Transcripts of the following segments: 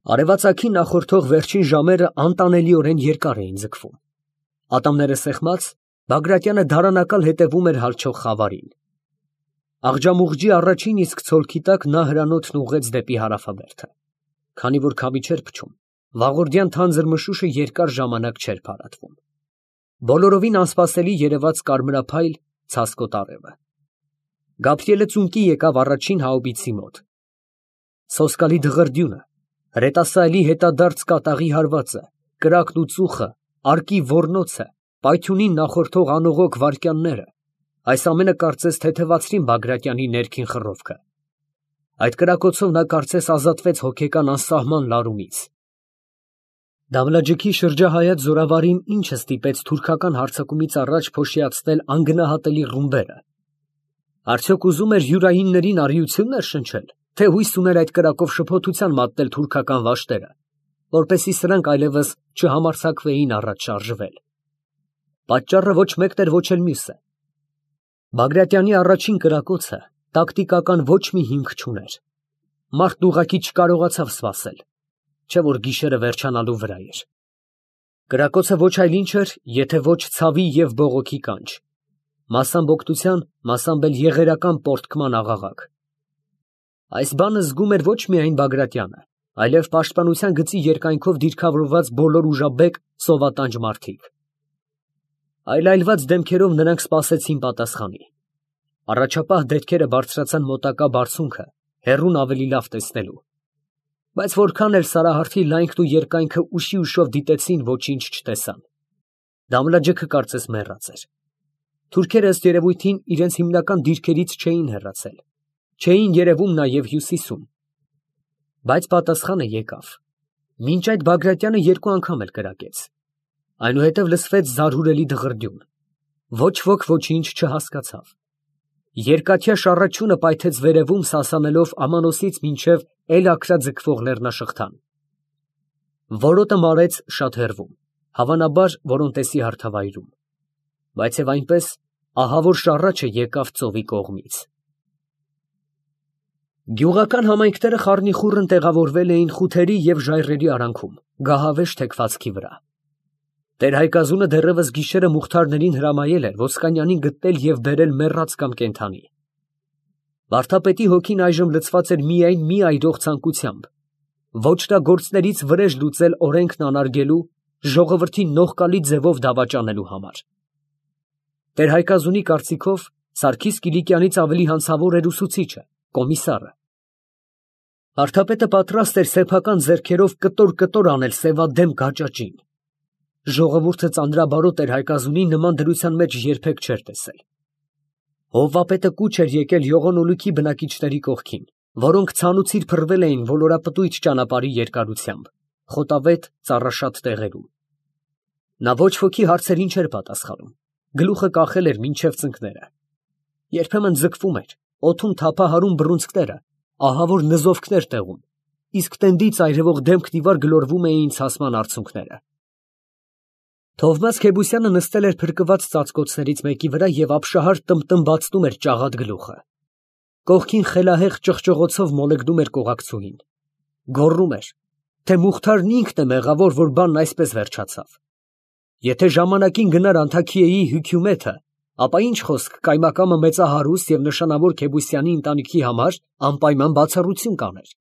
Արևածագին նախորդող վերջին ժամերը անտանելիորեն երկար էին ձգվում։ Ատամները սեղմած, Բագրատյանը դարանակալ հետևում էր հալչող խավարին։ Աղջամուղջի առաջին իսկ ցոլքի տակ նա հրանոթն ուղղեց դեպի հարավաբերդը։ Քանի որ քամի չէր փչում, վաղորդյան թանձր մշուշը երկար ժամանակ չէր փարատվում։ Բոլորովին անսպասելի երևաց կարմրափայլ ցասկոտ արևը։ Գաբրիելը ծունկի եկավ առաջին հաուբիցի մոտ։ Սոսկալի դղրդյունը, հրետասայելի հետադարձ կատաղի հարվածը, կրակն ու ծուխը, արկի ոռնոցը, պայթյունին նախորդող անողոք վայրկյանները, այս ամենը կարծես թեթևացրին Բագրատյանի ներքին խռովքը։ Այդ կրակոցով նա կարծես ազատվեց հոգեկան անսահման լարումից։ Դավլաջիքի շրջահայաց զորավարին ինչը ստիպեց թուրքական հարձակումից առաջ փոշիացնել անգնահատելի ռումբերը։ Արդյոք ուզում էր յուրայիններին առիություններ շնչել, թե հույս ուներ այդ կրակով շփոթության մատնել թուրքական վաշտերը, որպեսզի սրանք այլևս չհամարձակվեին առաջ շարժվել։ Պատճառը ոչ մեկն էր, ոչ էլ մյուսը։ Բագրատյանի առաջին կրակոցը տակտիկական ոչ մի հիմք չուներ։ Մարդն ուղղակի չկարողացավ սպասել, չէ որ գիշերը վերջանալու վրա էր։ Կրակոցը ոչ այլ ինչ էր, եթե ոչ ցավի և բողոքի կանչ, մասամբ օգնության, մասամբ էլ եղերական պոռթկման աղաղակ։ Այս բանը զգում էր ոչ միայն Բագրատյանը, այլև պաշտպանության գծի երկայնքով դիրքավորված բոլոր ուժաբեկ սովատանջ մարդիկ։ Այլայլված դեմքերով նրանք սպասեցին պատասխանի։ Առաջապահ դետքերը բարձրացան մոտակա բարձունքը, հեռուն ավելի լավ տեսնելու։ Բայց որքան էլ Սարահարթի լայնքն ու երկայնքը ուշի ուշով դիտեցին, ոչինչ չտեսան։ Դամլաջիքը կարծես մեռած էր։ Թուրքերը ըստ երևույթին իրենց հիմնական դիրքերից չէին հեռացել, չէին երևում նաև հյուսիսում։ Բայց պատասխանը եկավ։ Մինչ այդ Բագրատյանը երկու անգամ էլ կրակեց։ Այնուհետև լսվեց զարհուրելի դղրդյուն։ Ոչ ոք ոչինչ չհասկացավ։ Երկաթյա շառաչյունը պայթեց վերևում, սասանելով Ամանոսից մինչև Էլ֊Աքրա ձգվող լեռնաշղթան։ Որոտը մարեց շատ հեռվում, հավանաբար Որոնտեսի հարթավայրում։ Բայց և այնպես, ահավոր շառաչը եկավ ծովի կողմից։ Գյուղական համայնքները խառնիխուռն տեղավորվել էին խութերի և ժայռերի արանքում, գահավեժ թեքվածքի վրա։ Տեր֊Հայկազունը դեռևս գիշերը մուղթարներին հրամայել էր Ոսկանյանին գտնել և բերել մեռած կամ կենդանի։ Վարդապետի հոգին այժմ լցված էր միայն մի այրող ցանկությամբ՝ ոճրագործներից վրեժ լուծել օրենքն անարգելու, ժողովրդին նողկալի ձևով դավաճանելու համար։ Տեր֊Հայկազունի կարծիքով Սարգիս Կիլիկյանից ավելի հանցավոր էր ուսուցիչը, կոմիսարը։ Վարդապետը պատրաստ էր սեփական ձեռքերով կտոր անել սևադեմ գաճաճին։ Ժողովուրդը ծանրաբարոտ Տեր-Հայկազունին նման դրության մեջ երբեք չէր տեսել։ Հովվապետը կուչ էր եկել Յողոնոլուքի բնակիչների կողքին, որոնք ցանուցիր փռվել էին ոլորապտույտ ճանապարհի երկարությամբ, խոտավետ ծառաշատ տեղերում։ Նա ոչ ոքի հարցերին չէր պատասխանում, գլուխը կախել էր մինչև ծնկները։ Երբեմն ձգվում էր, օդում թափահարում բռունցքները, ահավոր նզովքներ տեղում, իսկ տենդից այրևող դեմքն ի վար գլորվում էին ցասման արցունքները։ Թովմաս Քեբուսյանը նստել էր փրկված ծածկոցներից մեկի վրա և ապշահար տմբացնում էր ճաղատ գլուխը։ Կողքին խելահեղ ճղճղոցով մոլեգնում էր կողակցուհին։ Գոռում էր, թե Մուխթարն ինքն է մեղավոր, որ բանն այսպես վերջացավ։ Եթե ժամանակին գնար Անթաքիեի հյությումեթը, ապա ինչ խոսք կայմակամը մեծահարուստ և նշանավոր Քեբուսյանի ընտանիքի համար անպայման բացառություն կաներ։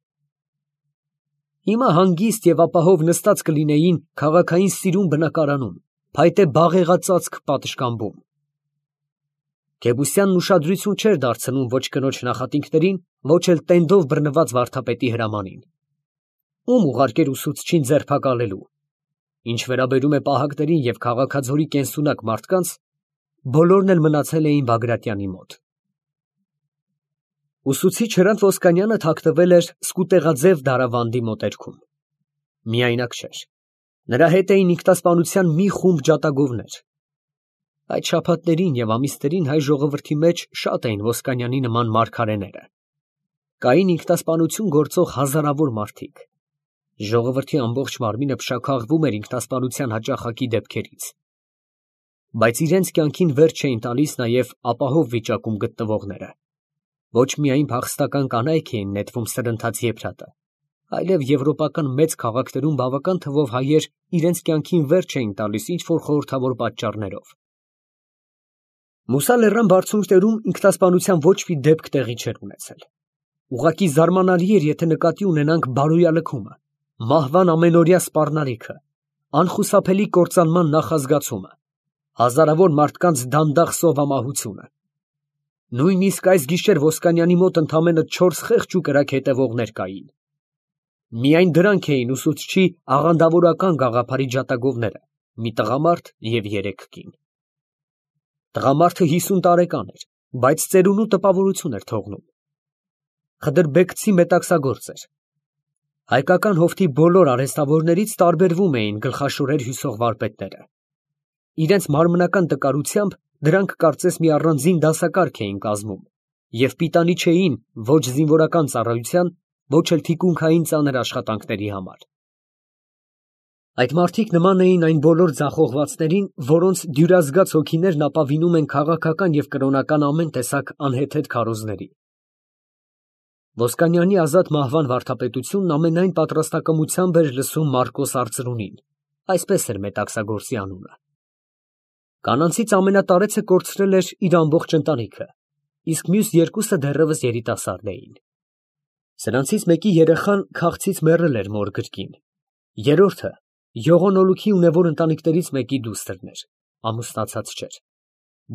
Հիմա հանգիստ և ապահով նստած կլինեին քաղաքային սիրուն բնակարանում, փայտե բաղեղածածկ պատշգամբում։ Քեբուսյանն ուշադրություն չէր դարձնում ոչ կնոջ նախատինքներին, ոչ էլ տենդով բռնված վարդապետի հրամանին։ Ում ուղարկեր ուսուցչին ձերբակալելու։ Ինչ վերաբերում է պահակներին և քաղաքաձորի կենսունակ մարդկանց, բոլորն էլ մնացել էին Բագրատյանի մոտ։ Ուսուցիչ Հրանտ Ոսկանյանը թաքնվել էր Սկուտեղաձև դարավանդի մոտերքում։ Միայնակ չէր։ Նրա հետ էին ինքնասպանության մի խումբ ջատագովներ։ Այդ շաբաթներին և ամիսներին հայ ժողովրդի մեջ շատ էին Ոսկանյանի նման մարգարեները։ Կային ինքնասպանություն գործող հազարավոր մարդիկ։ Ժողովրդի ամբողջ մարմինը փշաքաղվում էր ինքնասպանության հաճախակի դեպքերից։ Բայց իրենց կյանքին վերջ չէին տալիս նաև ապահով վիճակում գտնվողները։ Ոչ միայն փախստական կանայք էին նետվում սրընթաց եփրատը, այլև եվրոպական մեծ քաղաքներում բավական թվով հայեր իրենց կյանքին վերջ էին տալիս ինչ-որ խորհրդավոր պատճառներով։ Մուսա լեռան բարձունքներում ինքնասպանության ոչ մի դեպք տեղի չէր ունեցել։ Ուղղակի զարմանալի էր, եթե նկատի ունենանք բարոյալքումը, մահվան ամենօրյա սպառնալիքը, անխուսափելի կործանման նախազգացումը, հազարավոր մարդկանց դանդաղ սովամահությունը։ Նույնիսկ այս գիշեր Ոսկանյանի մոտ ընդամենը 4 խեղճ ու կրակ հետևողներ կային։ Միայն դրանք էին ուսուցչի աղանդավորական գաղափարի ջատագովները՝ մի տղամարդ և 3 կին։ Տղամարդը 50 տարեկան էր, բայց ծերունու տպավորություն էր թողնում։ Խդրբեկցի մետաքսագործ էր։ Հայկական հովտի բոլոր արհեստավորներից տարբերվում էին գլխաշորեր հյուսող վարպետները։ Իրենց մարմնական տկարությամբ դրանք կարծես մի առանձին դասակարգ էին կազմում և պիտանի չէին ոչ զինվորական ծառայության, ոչ էլ թիկունքային ծանր աշխատանքների համար։ Այդ մարդիկ նման էին այն բոլոր ձախողվածներին, որոնց դյուրազգաց հոգիներն ապավինում են քաղաքական և կրոնական ամեն տեսակ անհեթեթ քարոզների։ Ոսկանյանի ազատ մահվան վարդապետությունն ամենայն պատրաստակամությամբ էր լսում Մարկոս արծրունին, այսպես էր մետաքսագործի անունը։ Կանանցից ամենատարեցը կորցրել էր իր ամբողջ ընտանիքը, իսկ մյուս 2-ը դեռևս երիտասարդ էին։ Սրանցից մեկի երեխան քաղցից մեռել էր մոր գրկին, երրորդը յողոնոլուքի ունևոր ընտանիքներից մեկի դուստրն էր, ամուսնացած չէր։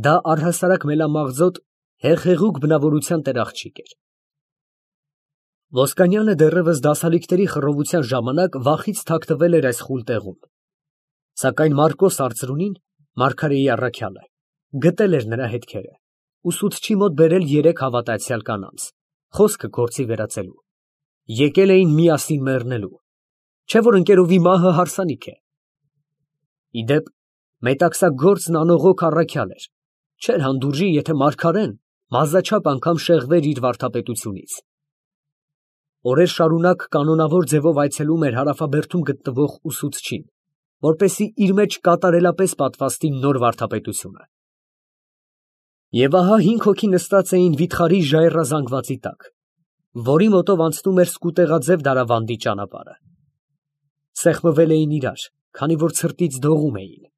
Դա առհասարակ մելամաղձոտ, հեղեղուկ բնավորության տերաղջիկ էր։ Ոսկանյանը դեռևս դասալիքների խռովության ժամանակ վախից թաքնվել էր այս խուլ տեղում։ Սակայն Մարկոս արծրունին, մարգարեի առաքյալը, գտել էր նրա հետքերը, ուսուցչի մոտ բերել 3 հավատացյալ կանանց, խոսքը գործի վերածելու։ Եկել էին միասին մեռնելու, չէ՞ որ ընկերովի մահը հարսանիք է։ Ի դեպ, մետաքսագործն անողոք առաքյալ էր, չէր հանդուրժի, եթե մարգարեն մազաչափ անգամ շեղվեր իր վարդապետությունից։ Օրեր շարունակ կանոնավոր ձևով այցելում էր հարավաբերդում գտնվող ուսուցչին, որպեսզի իր մեջ կատարելապես պատվաստի նոր վարդապետությունը։ Եվ ահա 5 հոգի նստած էին վիթխարի ժայռազանգվածի տակ, որի մոտով անցնում էր սկուտեղաձև դարավանդի ճանապարհը։ Սեղմվել էին իրար, քանի որ ցրտից դողում էին։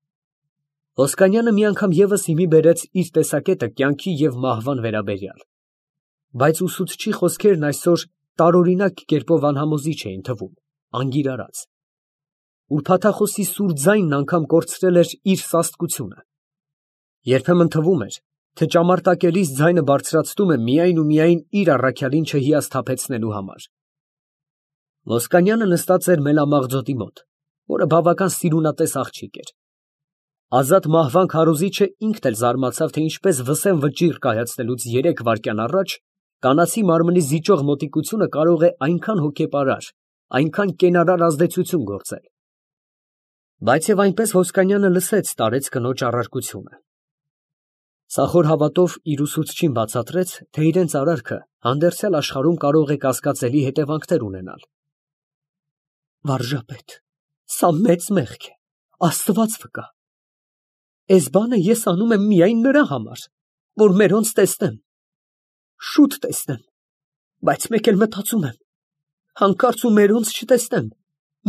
Ոսկանյանը մի անգամ ևս հիմի բերեց իր տեսակետը կյանքի և մահվան վերաբերյալ, բայց ուսուցչի խոսքերն այսօր տարօրինակ կերպով անհամոզիչ էին թվում, անգիրարած։ Ուրբաթախոսի սուր ձայնն անգամ կորցրել էր իր սաստկությունը։ Երբեմն թվում էր, թե ճամարտակելիս ձայնը բարձրացնում է միայն ու միայն իր առաքյալին չհիասթափեցնելու համար։ Ոսկանյանը նստած էր մելամաղձոտի մոտ, որը բավական սիրունատես աղջիկ էր։ Ազատ մահվան քարոզիչը ինքն էլ զարմացավ, թե ինչպես վսեմ վճիռ կայացնելուց 3 վայրկյան առաջ կանացի մարմնի զիջող մոտիկությունը կարող է այնքան հոգեպարար, այնքան կենարար ազդեցություն գործել։ Բայց և այնպես Ոսկանյանը լսեց տարեց կնոջ առարկությունը։ Սախոր հավատով իր ուսուցչին բացատրեց, թե իրենց արարքը հանդերձյալ աշխարհում կարող է կասկածելի հետևանքներ ունենալ։ Վարժապետ, սա մեծ մեղք է, Աստված վկա։ Էս բանը ես անում եմ միայն նրա համար, որ մերոնց տեսնեմ, շուտ տեսնեմ, բայց մեկ էլ մտածում եմ, հանկարծ ու մերոնց չտեսնեմ,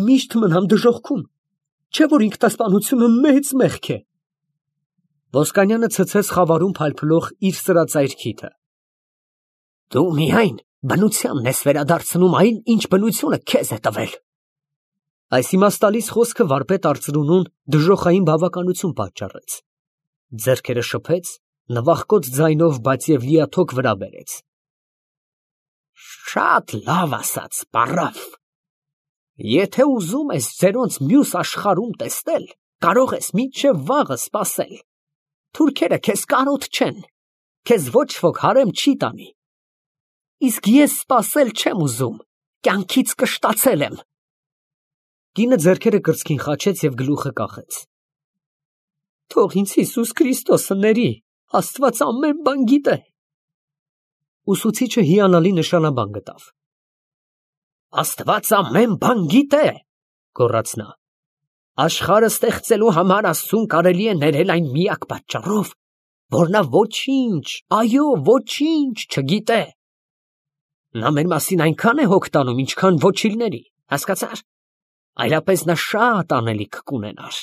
միշտ մնամ դժոխքում, չէ՞ որ ինքնասպանությունը մեծ մեղք է։ Ոսկանյանը ցցեց խավարում փալփլող իր սրածայր քիթը։ Դու միայն բնությանն ես վերադարձնում այն, ինչ բնությունը քեզ է տվել։ Այս իմաստալից խոսքը վարպետ արծրունուն դժոխային բավականություն պատճառեց։ Ձեռքերը շփեց, նվախկոտ ձայնով, բայց և լիաթոք վրա բերեց։ Շատ լավ ասաց, պարավ։ Եթե ուզում ես ձերոնց մյուս աշխարհում տեսնել, կարող ես մինչև վաղը սպասել։ Թուրքերը քեզ կարոտ չեն, քեզ ոչ ոք հարեմ չի տանի։ Իսկ ես սպասել չեմ ուզում, կյանքից կշտացել եմ։ Կինը ձեռքերը կրծքին խաչեց և գլուխը կախեց։ Թող ինձ Հիսուս Քրիստոսը ների, Աստված ամեն բան գիտե։ Ուսուցիչը հիանալի նշանաբան գտավ։ Աստված ամեն բան գիտե, գոռաց նա։ Աշխարհը ստեղծելու համար Աստծուն կարելի է ներել այն միակ պատճառով, որ նա ոչինչ, այո, ոչինչ չգիտե։ Նա մեր մասին այնքան է հոգ տանում, ինչքան ոչիլների։ Հասկացա՞ր։ Այլապես նա շատ անելիք կունենար։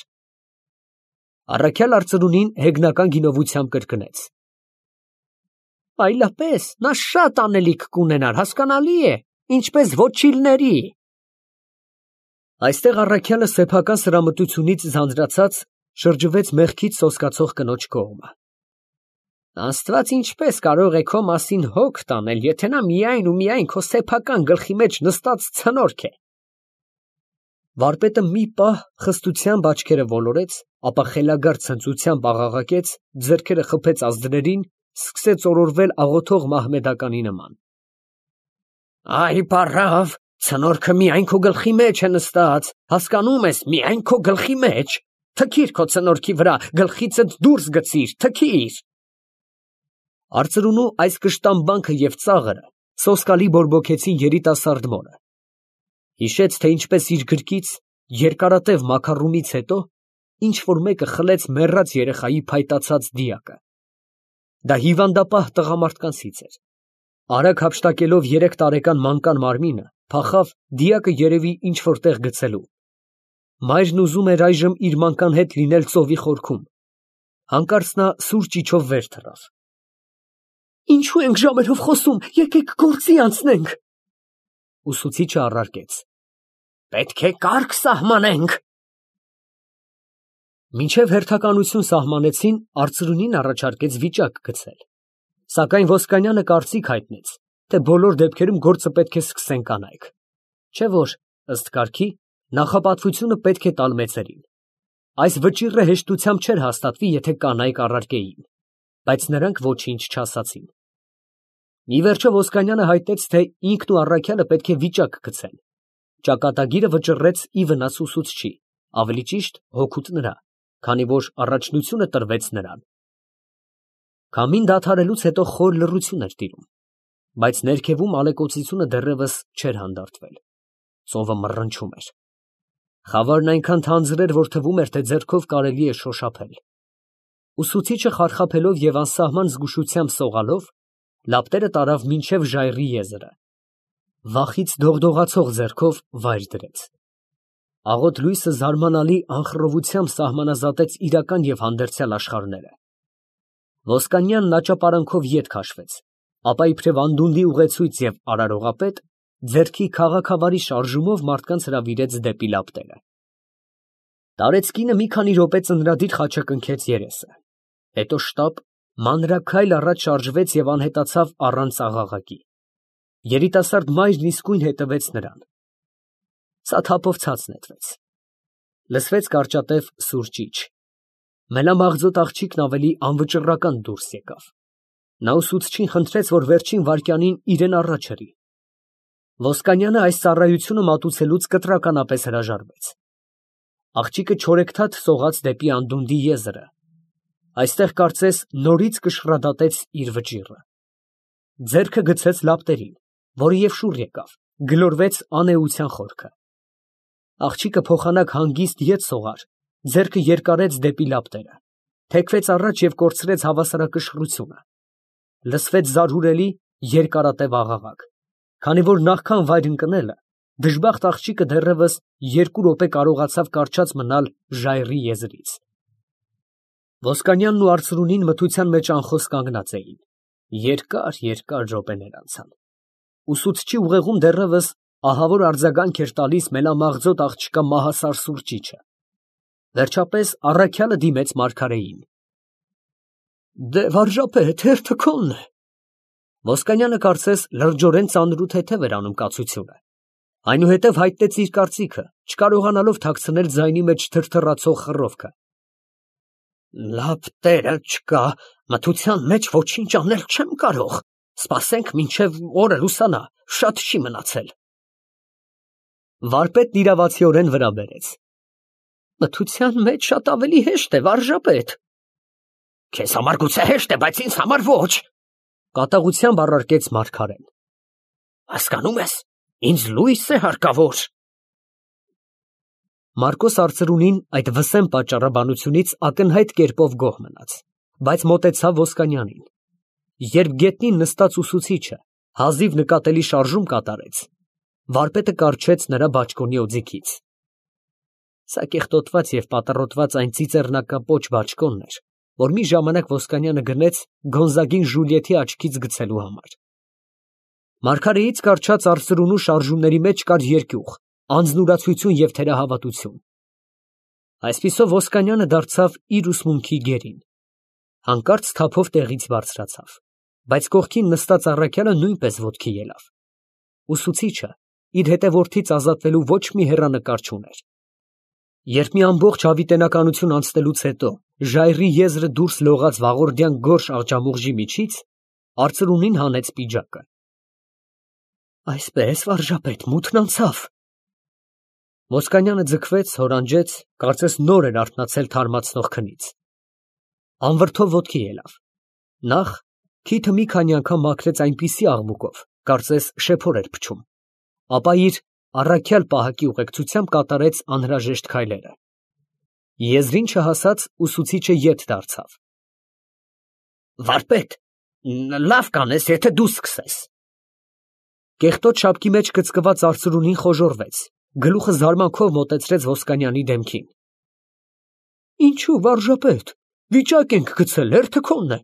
Առաքյալ արծրունին հեգնական գինովությամբ կրկնեց. Այլապես նա շատ անելիք կունենար, հասկանալի է, ինչպես ոչիլների։ Այստեղ առաքյալը սեփական սրամտությունից ձանձրացած շրջվեց մեղքից սոսկացող կնոջ կողմը։ Աստված ինչպես կարող է քո մասին հոգ տանել, եթե նա միայն ու միայն քո սեփական գլխի մեջ նստած ցնորք է։ Վարպետը մի պահ խստությամբ աչքերը ոլորեց, ապա խելագար ցնծությամբ աղաղակեց, ձեռքերը խփեց ազդրերին, սկսեց օրորվել աղոթող մահմեդականի նման։ Այ պարավ, ցնորքը միայն քո գլխի մեջ է նստած, հասկանում ես, միայն քո գլխի մեջ, թքիր քո ցնորքի վրա, գլխիցդ դուրս գցիր, թքիր։ Արծրունու այս կշտամբանքը և ծաղրը սոսկալի բորբոքեցին երիտասարդ մորը։ Հիշեց, թե ինչպես իր գրկից երկարատև մաքարումից հետո ինչ որ մեկը խլեց մեռած երեխայի փայտացած դիակը։ Դա հիվանդապահ տղամարդկանցից էր։ Արագ հափշտակելով 3 տարեկան մանկան մարմինը, փախավ դիակը երևի ինչ որտեղ գցելու։ Մայրն ուզում էր այժմ իր մանկան հետ լինել ծովի խորքում։ Հանկարծ նա սուր ճիչով վեր թռավ։ Ինչու ենք ժամերով խոսում, եկեք գործի անցնենք։ Ուսուցիչը առարկեց. Պետք է կարգ սահմանենք։ Մինչև հերթականություն սահմանեցին, արծրունին առաջարկեց վիճակ գցել։ Սակայն Ոսկանյանը կարծիք հայտնեց, թե բոլոր դեպքերում գործը պետք է սկսեն կանայք։ Չէ որ, ըստ կարգի, նախապատվությունը պետք է տալ մեծերին։ Այս վճիռը հեշտությամբ չէր հաստատվի, եթե կանայք առարկեին, բայց նրանք ոչինչ չասացին։ Ի վերջո Ոսկանյանը հայտնեց, թե ինքն ու առաքյալը պետք է վիճակ գցեն։ Ճակատագիրը վճռեց ի վնաս ուսուցչի, ավելի ճիշտ հոգուտ նրա, քանի որ առաջնությունը տրվեց նրան։ Քամին դադարելուց հետո խոր լռություն էր տիրում, բայց ներքևում ալեկոծությունը դեռևս չէր հանդարտվել։ Ծովը մռնչում էր։ Խավարն այնքան թանձր էր, որ թվում էր, թե ձեռքով կարելի է շոշափել։ Ուսուցիչը խարխափելով և անսահման զգուշությամբ սողալով, լապտերը տարավ մինչև ժայռի եզրը։ Վախից դողդողացող ձեռքով վայր դրեց։ Աղոտ լույսը զարմանալի անխռովությամբ սահմանազատեց իրական և հանդերձյալ աշխարհները։ Ոսկանյանն աճապարանքով ետ քաշվեց, ապա իբրև անդունդի ուղեցույց և արարողապետ ձեռքի քաղաքավարի շարժումով մարդկանց հրավիրեց դեպի լապտերը։ Տարեցկինը մի քանի րոպե ծնրադիր խաչակնքեց երեսը, հետո շտապ մանրաքայլ առաջ շարժվեց և անհետացավ առանց աղաղակի։ Երիտասարդ մայրն իսկույն հետևեց նրան։ Սաթափով ցած նետվեց։ Լսվեց կարճատև սուր ճիչ։ Մելամաղձոտ աղջիկն ավելի անվճռական դուրս եկավ։ Նա ուսուցչին խնդրեց, որ վերջին վայրկյանին իրեն առաջ հրի։ Ոսկանյանը այս ծառայությունը մատուցելուց կտրականապես հրաժարվեց։ Աղջիկը չորեքթաթ սողաց դեպի անդունդի եզրը։ Այստեղ կարծես նորից կշռադատեց իր վճիռը։ Ձեռքը գցեց լապտերին, որը և շուռ եկավ, գլորվեց անէության խորքը։ Աղջիկը փոխանակ հանգիստ ետ սողար, ձեռքը երկարեց դեպի լապտերը, թեքվեց առաջ և կորցրեց հավասարակշռությունը։ Լսվեց զարհուրելի երկարատև աղաղակ, քանի որ նախքան վայր ընկնելը, դժբախտ աղջիկը դեռևս 2 րոպե կարողացավ կառչած մնալ ժայռի եզրից։ Ոսկանյանն ու արծրունին մթության մեջ անխոս կանգնած էին։ Երկար րոպեներ անցան։ Ուսուցչի ուղեղում դեռևս ահավոր արձագանք էր տալիս մելամաղձոտ աղջկա մահասար սուր ճիչը։ Վերջապես առաքյալը դիմեց մարգարեին։ Դե վարժապետ, հերթը քոնն է։ Ոսկանյանը կարծես լրջորեն ծանր ու թեթև էր անում կացությունը։ Այնուհետև հայտնեց իր կարծիքը, չկարողանալով թաքցնել ձայնի մեջ թրթռացող խռովքը։ Լապտերը չկա, մթության մեջ ոչինչ անել չեմ կարող, սպասենք մինչև օրը լուսանա, շատ չի մնացել։ Վարպետն իրավացիորեն վրա բերեց։ Մթության մեջ շատ ավելի հեշտ է, վարժապետ։ Քեզ համար գուցե հեշտ է, բայց ինձ համար ոչ, կատաղությամբ առարկեց մարգարեն։ Հասկանում ես, ինձ լույս է հարկավոր։ Մարկոս արծրունին այդ վսեմ պատճառաբանությունից ակնհայտ կերպով գոհ մնաց, բայց մոտեցավ Ոսկանյանին։ Երբ գետնին նստած ուսուցիչը հազիվ նկատելի շարժում կատարեց, Վարպետը կառչեց նրա բաճկոնի օձիքից։ Սա կեղտոտված և պատառոտված այն ծիծեռնակապոչ բաճկոնն էր, որ մի ժամանակ Ոսկանյանը գնեց Գոնզագին Ժուլիետի աչքից գցելու համար։ Մարգարեից կառչած արծրունու շարժումների մեջ կար երկյուղ, անձնուրացություն և թերահավատություն։ Այսպիսով Ոսկանյանը դարձավ իր ուսմունքի գերին։ Հանկարծ թափով տեղից բարձրացավ, բայց կողքին նստած առաքյալը նույնպես ոտքի ելավ։ Ուսուցիչը իր հետևորդից ազատվելու ոչ մի հեռանկար չուներ։ Երբ մի ամբողջ հավիտենականություն անցնելուց հետո ժայռի եզրը դուրս լողաց վաղորդյան գորշ աղջամուղժի միջից, արծրունին հանեց պիջակը։ Այսպես, վարժապետ, մութն անցավ։ Ոսկանյանը ձգվեց, հորանջեց, կարծես նոր էր արթնացել թարմացնող քնից։ Անվրդով ոտքի ելավ։ Նախ քիթը մի քանի անգամ մաքրեց այնպիսի աղմուկով, կարծես շեփոր էր փչում, ապա իր առաքյալ պահակի ուղեկցությամբ կատարեց անհրաժեշտ քայլերը։ Եզրին չհասած ուսուցիչը ետ դարձավ։ Վարպետ, լավ կանես, եթե դու սկսես։ Կեղտոտ շապկի մեջ գծկված արծրունին խոժոռվեց, գլուխը զարմանքով մոտեցրեց Ոսկանյանի դեմքին։ Ինչու, վարժապետ, վիճակ ենք գցել, հերթը քոնն է։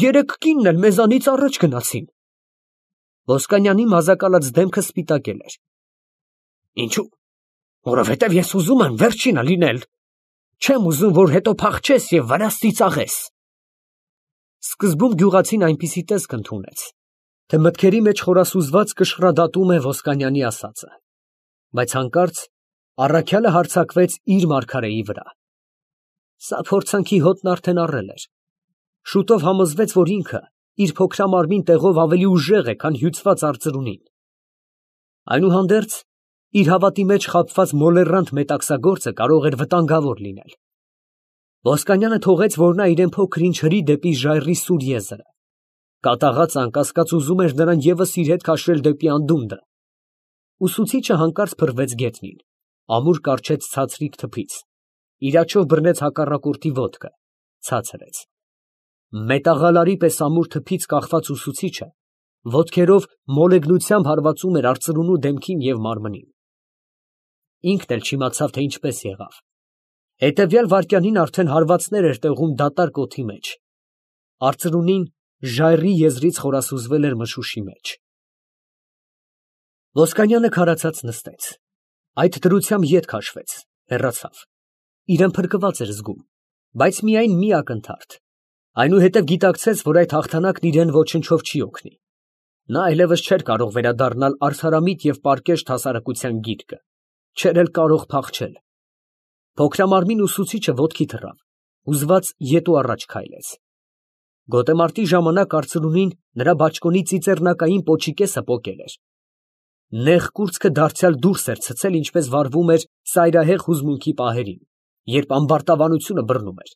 Երեք կինն էլ մեզանից առաջ գնացին։ Ոսկանյանի մազակալած դեմքը սպիտակել էր։ Ինչու, որովհետև ես ուզում եմ վերջինը լինել, չեմ ուզում, որ հետո փախչես և վրաս ծիծաղես։ Սկզբում գյուղացին այնպիսի տեսք ընդունեց, թե մտքերի մեջ խորասուզված կշռադատում է Ոսկանյանի ասածը, բայց հանկարծ առաքյալը հարձակվեց իր մարգարեի վրա։ Սա փորձանքի հոտն արդեն առել էր։ Շուտով համոզվեց, որ ինքը իր փոքրամարմին տեղով ավելի ուժեղ է, քան հյուծված արծրունին։ Այնուհանդերձ իր հավատի մեջ խաբված մոլեռանդ մետաքսագործը կարող էր վտանգավոր լինել։ Ոսկանյանը թողեց, որ նա իրեն փոքր-ինչ հրի դեպի ժայռի սուր եզրը։ Կատաղած անկասկած ուզում էր նրան ևս իր հետ քաշել դեպի անդունդը։ Ուսուցիչը հանկարծ փռվեց գետնին, ամուր կառչեց ցածրիկ թփից, իր աջով բռնեց հակառակորդի ոտքը, ցածրեց։ Մետաղալարի պես ամուր թփից կախված ուսուցիչը ոտքերով մոլեգնությամբ հարվածում էր արծրունու դեմքին և մարմնին։ Ինքն էլ չիմացավ, թե ինչպես եղավ։ Հետևյալ վայրկյանին արդեն հարվածներ էր տեղում դատարկ օդի մեջ։ Արծրունին ժայռի եզրից խորասուզվել էր մշուշի մեջ։ Ոսկանյանը քարացած նստեց։ Այդ դրությամբ ետ քաշվեց, հեռացավ։ Իրեն փրկված էր զգում, բայց միայն մի ակնթարթ։ Այնուհետև գիտակցեց, որ այդ հաղթանակն իրեն ոչնչով չի օգնի։ Նա այլևս չէր կարող վերադառնալ արդարամիտ և պարկեշտ հասարակության գիրկը, չէր էլ կարող փախչել։ Փոքրամարմին ուսուցիչը ոտքի թռավ, հուզված ետու առաջ քայլեց։ Գոտեմարտի ժամանակ արծրունին նրա բաճկոնի ծիծեռնակային պոչի կեսը պոկել էր։ Նեղ կուրծքը դարձյալ դուրս էր ցցել, ինչպես վարվում էր ծայրահեղ հուզմունքի պահերին, երբ ամբարտավանությունը բռնում էր։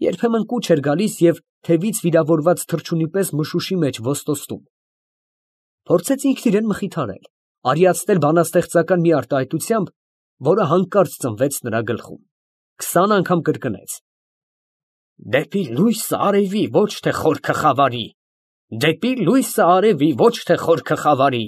Երբեմն կուչ էր գալիս և թևից վիրավորված թռչունի պես մշուշի մեջ ոստոստում։ Փորձեց ինքն իրեն մխիթարել, արիացնել բանաստեղծական մի արտահայտությամբ, որը հանկարծ ծնվեց նրա գլխում։ 20 անգամ կրկնեց. Դեպի լույսը արևի, ոչ թե խորքը խավարի, դեպի լույսը արևի, ոչ թե խորքը խավարի։